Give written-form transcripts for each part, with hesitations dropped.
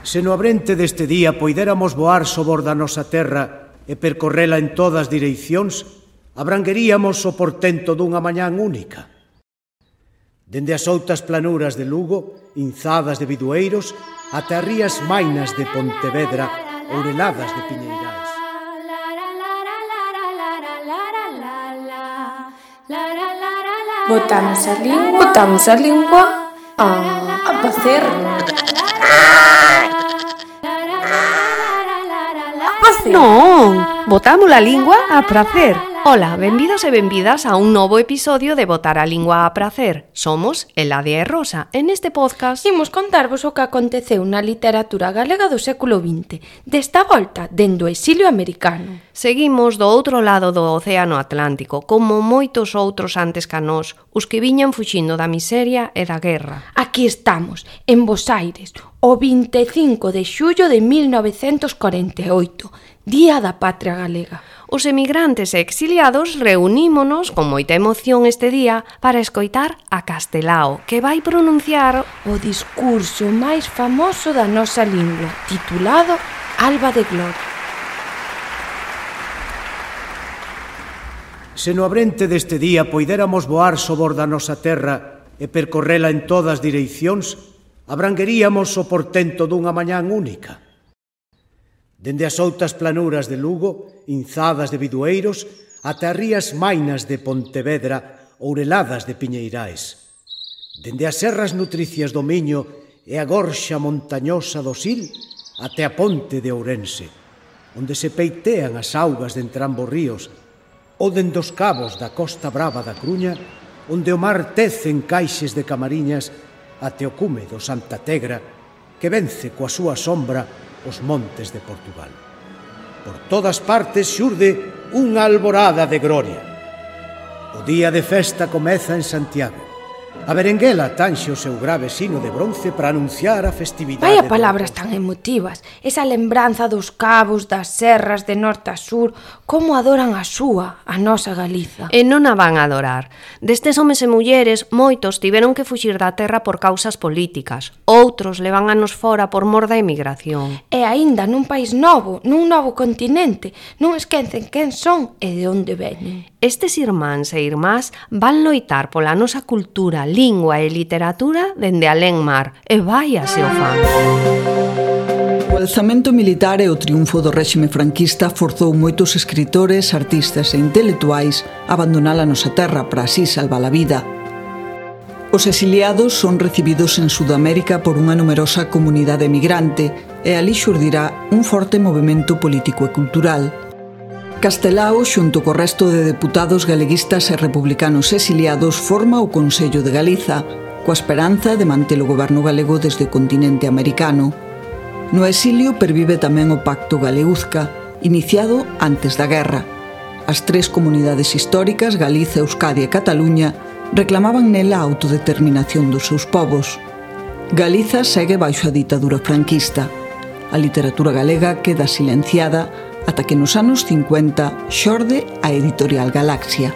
Se no abrente deste día poidéramos voar sobor da nosa terra e percorrela en todas direccións, abrangueríamos o portento dunha mañán única. Dende as outas planuras de Lugo, inzadas de bidueiros, ata as rías mainas de Pontevedra, oureladas de piñeirais. Botamos a lingua a facer. Non, botamos a lingua a pracer. Ola, benvidos e benvidas a un novo episodio de Botar a Lingua a Pracer. Somos Eladia e Rosa. En este podcast Imos contarvos o que aconteceu na literatura galega do século XX, desta volta dende o exilio americano. Seguimos do outro lado do Océano Atlántico, como moitos outros antes ca nós, os que viñan fuxindo da miseria e da guerra. Aquí estamos, en Bos Aires, o 25 de xullo de 1948, Día da Patria Galega. Os emigrantes e exiliados reunímonos con moita emoción este día para escoitar a Castelao, que vai pronunciar o discurso máis famoso da nosa lingua, titulado Alba de Gloria. Se no abrente deste día poidéramos voar sobor da nosa terra e percorrela en todas direccións, abrangueríamos o portento dunha mañán única. Dende as outas planuras de Lugo, inzadas de bidueiros, ata as rías mainas de Pontevedra, oureladas de piñeirais. Dende as serras nutricias do Miño e a gorxa montañosa do Sil, até a ponte de Ourense, onde se peitean as augas de entrambos ríos, ou dende os cabos da Costa Brava da Cruña, onde o mar tece en caixes de Camariñas, até o cume do Santa Tegra, que vence coa súa sombra os montes de Portugal. Por todas partes xurde unha alborada de gloria. O día de festa comeza en Santiago. A berenguela tanxe o seu grave sino de bronce para anunciar a festividade. Vaya palabras tan emotivas, esa lembranza dos cabos, das serras de norte a sur, como adoran a súa, a nosa Galiza. E non a van a adorar. Destes homes e mulleres, moitos tiveron que fuxir da terra por causas políticas. Outros levan anos fora por mor da emigración. E aínda nun país novo, nun novo continente, non esquecen quen son e de onde veñen. Estes irmáns e irmás van loitar pola nosa cultura, lingua e literatura dende alén mar, e vaia se o fan. O alzamento militar e o triunfo do réxime franquista forzou moitos escritores, artistas e intelectuais a abandonar a nosa terra para así salvar a vida. Os exiliados son recibidos en Sudamérica por unha numerosa comunidade emigrante e ali xurdirá un forte movemento político e cultural. Castelao, xunto co resto de deputados galeguistas e republicanos exiliados, forma o Consello de Galiza, coa esperanza de manter o goberno galego desde o continente americano. No exilio pervive tamén o Pacto Galeuzca, iniciado antes da guerra. As tres comunidades históricas, Galiza, Euskadi e Cataluña, reclamaban nela a autodeterminación dos seus povos. Galiza segue baixo a ditadura franquista. A literatura galega queda silenciada ata que nos anos 50 xorde a editorial Galaxia.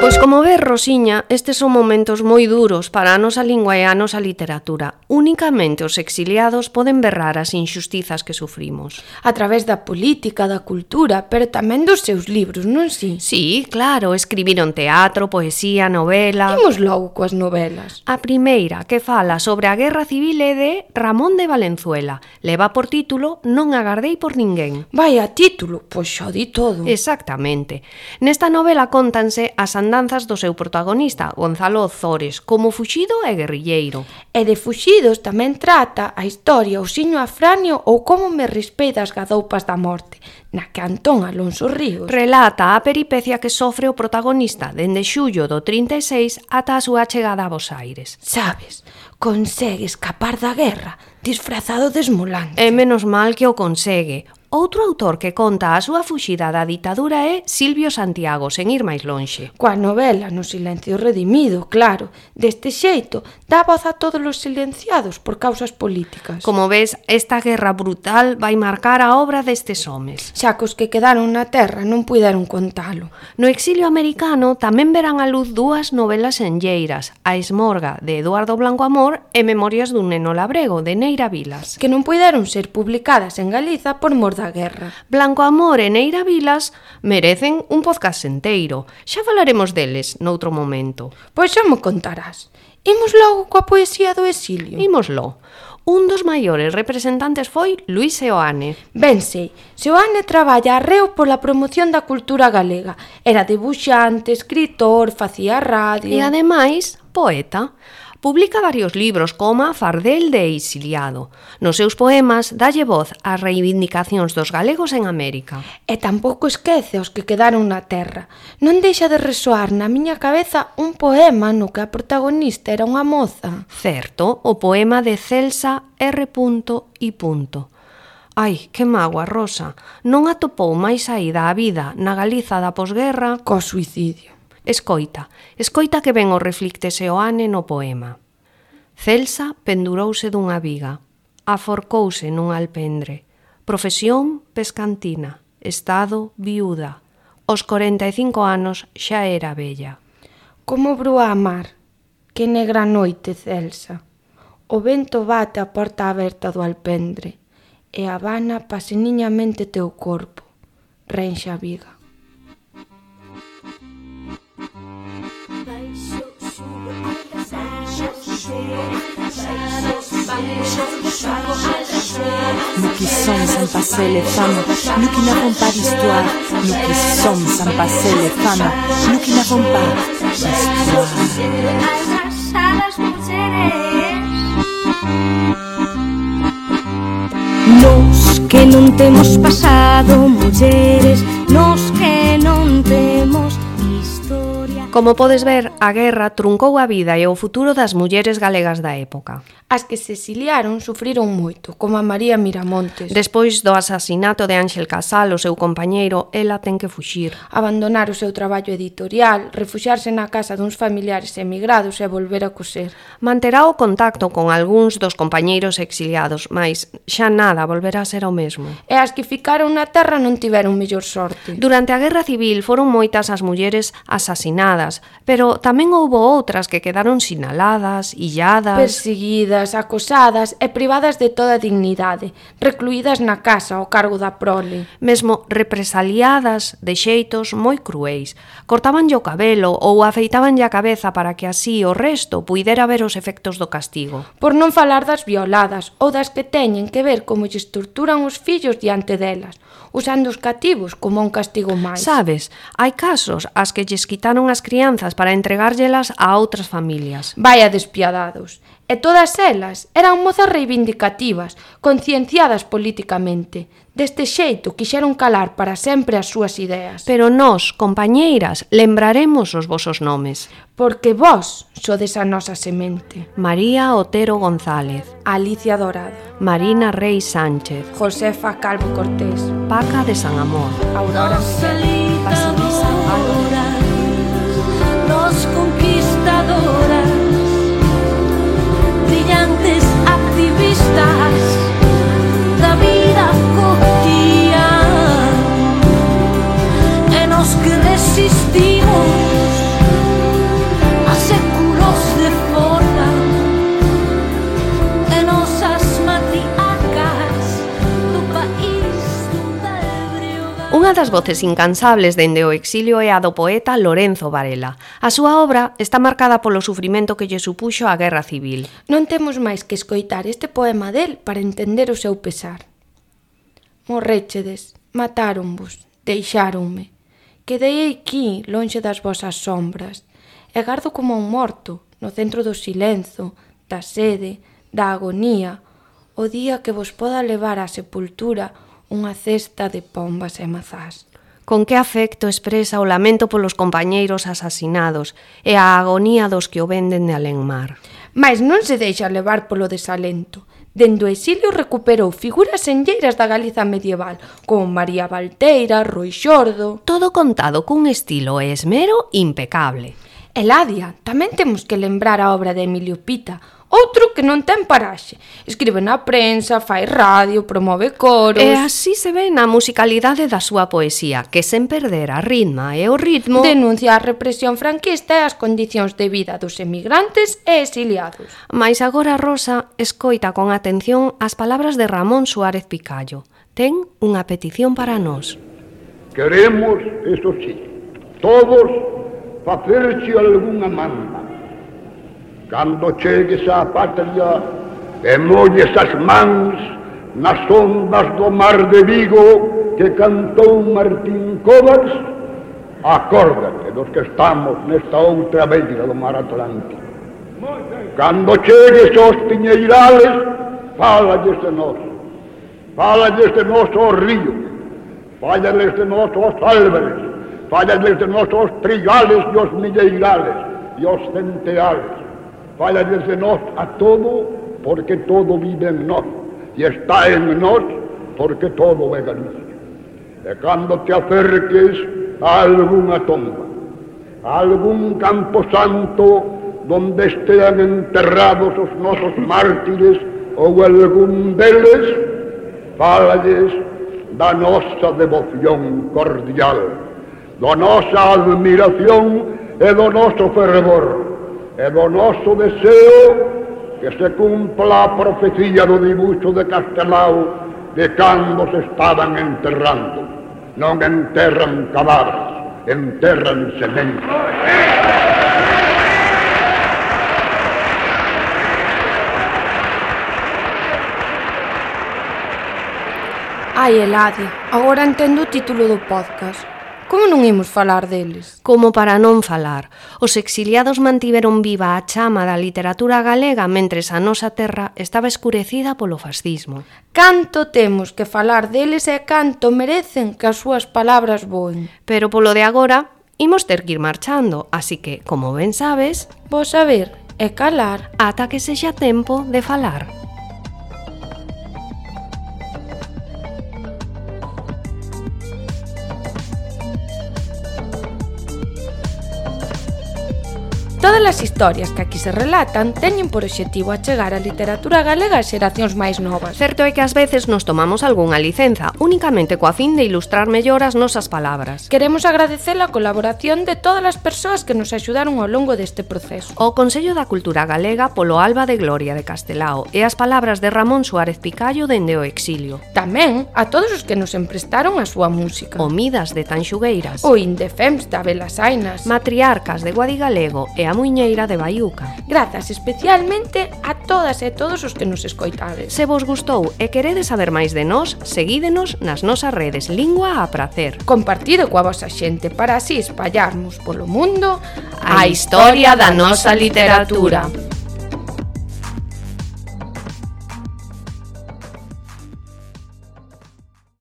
Pois como ves, Rosiña, estes son momentos moi duros para a nosa lingua e a nosa literatura. Únicamente os exiliados poden berrar as injustizas que sufrimos. A través da política, da cultura, pero tamén dos seus libros, non si? Sí, claro, escribiron teatro, poesía, novela... Imos logo coas novelas. A primeira, que fala sobre a Guerra Civil, é de Ramón de Valenzuela. Leva por título Non agardei por ninguén. Vaya título, pois xa di todo. Exactamente. Nesta novela cóntanse as andanzas do seu protagonista, Gonzalo Ozores, como fuxido e guerrilleiro. E de fuxidos tamén trata a historia Osiño Afranio ou Como me rispei das gadoupas da morte, na que Antón Alonso Ríos relata a peripecia que sofre o protagonista dende xullo do 36 ata a súa chegada a Bos Aires. Sabes, consegue escapar da guerra disfrazado de esmolante. E menos mal que o consegue. Outro autor que conta a súa fuxida da ditadura é Silvio Santiago, sen ir máis lonxe. Coa novela No silencio redimido, claro. Deste xeito, dá voz a todos os silenciados por causas políticas. Como ves, esta guerra brutal vai marcar a obra destes homes. Xa que os que quedaron na terra non puideron contalo. No exilio americano tamén verán a luz dúas novelas enlleiras, A esmorga, de Eduardo Blanco Amor, e Memorias dun neno labrego, de Neira Vilas. Que non puideron ser publicadas en Galiza por mor da guerra. Blanco Amor e Neira Vilas merecen un podcast enteiro. Xa falaremos deles noutro momento. Pois xa mo contarás. Imos logo coa poesía do exilio. Ímoslo. Un dos maiores representantes foi Luís Seoane. Ben sei, Seoane traballa arreo pola promoción da cultura galega. Era debuxante, escritor, facía radio... E ademais, poeta. Publica varios libros como Fardel de exiliado. Nos seus poemas dalle voz ás reivindicacións dos galegos en América. E tampouco esquece os que quedaron na terra. Non deixa de resoar na miña cabeza un poema no que a protagonista era unha moza. Certo, o poema de Celsa R. I. Ai, que mágoa, Rosa. Non atopou máis saída á vida na Galiza da posguerra Co suicidio. Escoita que ven o reflicte Seoane no poema. Celsa pendurouse dunha viga, aforcouse nun alpendre, profesión pescantina, estado viúda, aos 45 anos xa era vella. Como brúa a mar, que negra noite, Celsa. O vento bate a porta aberta do alpendre e abana paseniñamente teu corpo, renxa a viga. Nous qui sommes sans passer les femmes, nous qui n'avons pas d'histoire, nous qui sommes sans passer les femmes, nous qui n'avons pas d'histoire. Nos que non temos pasado, mulleres, nos que non temos historia. Como podes ver, a guerra truncou a vida e o futuro das mulleres galegas da época. As que se exiliaron sufriron moito, como a María Miramontes. Despois do asasinato de Ángel Casal, o seu compañeiro, ela ten que fuxir. Abandonar o seu traballo editorial, refuxiarse na casa duns familiares emigrados e volver a coser. Manterá o contacto con algúns dos compañeiros exiliados, mas xa nada volverá a ser o mesmo. E as que ficaron na terra non tiveron mellor sorte. Durante a Guerra Civil foron moitas as mulleres asasinadas, pero tamén houbo outras que quedaron sinaladas, illadas... Perseguidas, acosadas e privadas de toda dignidade, recluídas na casa ao cargo da prole. Mesmo represaliadas de xeitos moi cruéis. Cortabanlle o cabelo ou afeitabanlle a cabeza para que así o resto puidera ver os efectos do castigo. Por non falar das violadas ou das que teñen que ver como lles torturan os fillos diante delas, usando os cativos como un castigo máis. Sabes, hai casos ás que lles quitaron as crianzas para entregárllelas a outras familias. Vaya despiadados. E todas elas eran mozas reivindicativas, concienciadas políticamente. Deste xeito quixeron calar para sempre as súas ideas. Pero nós, compañeiras, lembraremos os vosos nomes. Porque vós sodes a nosa semente. María Otero González, Alicia Dorado, Marina Rey Sánchez, Josefa Calvo Cortés, Paca de San Amor, Aurora Miguel, Basilisa Álvarez. Nos conquistadoras, brillantes activistas da vida cotidiana, e nos que resistimos a séculos de forma, e nosas matriarcas do país do ebrio. Unha das voces incansables dende o exilio é a do poeta Lorenzo Varela. A súa obra está marcada polo sufrimento que lle supuxo a Guerra Civil. Non temos máis que escoitar este poema del para entender o seu pesar. Morréchedes, matáronvos, deixáronme. Quedei aquí, lonxe das vosas sombras, e gardo como un morto, no centro do silenzo, da sede, da agonía, o día que vos poda levar á sepultura unha cesta de pombas e mazás. Con que afecto expresa o lamento polos compañeiros asasinados e a agonía dos que o venden de alén mar. Mais non se deixa levar polo desalento. Dende o exilio recuperou figuras enlleiras da Galiza medieval, como María Valteira, Roi Xordo... Todo contado cun estilo e esmero impecable. Eladia, tamén temos que lembrar a obra de Emilio Pita, outro que non ten paraxe. Escribe na prensa, fai radio, promove coros... E así se ve na musicalidade da súa poesía, que sen perder a ritma e o ritmo... Denuncia a represión franquista e as condicións de vida dos emigrantes e exiliados. Mais agora Rosa escoita con atención as palabras de Ramón Suárez Picallo. Ten unha petición para nós. Queremos, eso sí, todos facerche algunha manda. Cando chegues á patria e molles as mans nas ondas do mar de Vigo que cantou Martín Covas, acórdate dos que estamos nesta outra beira do mar Atlántico. Cando chegues aos piñeirales, fálalles de nós ao río, fálalles de nós aos álvares, fálalles de nós aos trigales e aos milleirales e aos centeales. Falla desde nós a todo, porque todo vive en nós, e está en nós, porque todo é Galicia. E cando te acerques a algunha tomba, a algún campo santo, donde estean enterrados os nosos mártires, ou algún deles, fálales da nosa devoción cordial, da nosa admiración e do noso fervor, e do noso deseo que se cumpla a profecía do dibuixo de Castelao de cando se estaban enterrando. Non enterran cadáveres, enterran sementes. Ai, Eladia, agora entendo o título do podcast. Como non imos falar deles? Como para non falar, os exiliados mantiveron viva a chama da literatura galega mentres a nosa terra estaba escurecida polo fascismo. Canto temos que falar deles e canto merecen que as súas palabras voen. Pero polo de agora, imos ter que ir marchando, así que, como ben sabes, vos saber e calar ata que sexa tempo de falar. Todas as historias que aquí se relatan teñen por obxectivo achegar a literatura galega a xeracións máis novas. Certo é que ás veces nos tomamos algunha licenza, únicamente coa fin de ilustrar mellor as nosas palabras. Queremos agradecer a colaboración de todas as persoas que nos axudaron ao longo deste proceso. O Consello da Cultura Galega polo Alba de Gloria de Castelao e as palabras de Ramón Suárez Picallo dende o exilio. Tamén a todos os que nos emprestaron a súa música. O Midas de Tanxugueiras. O Indefems da Belasainas. Matriarcas de Guadigalego e a Muiñeira de Baiuca. Grazas especialmente a todas e todos os que nos escoitades. Se vos gustou e queredes saber máis de nós, seguídenos nas nosas redes Lingua a Pracer. Compartido coa vosa xente para así espallarmos polo mundo a historia da nosa literatura.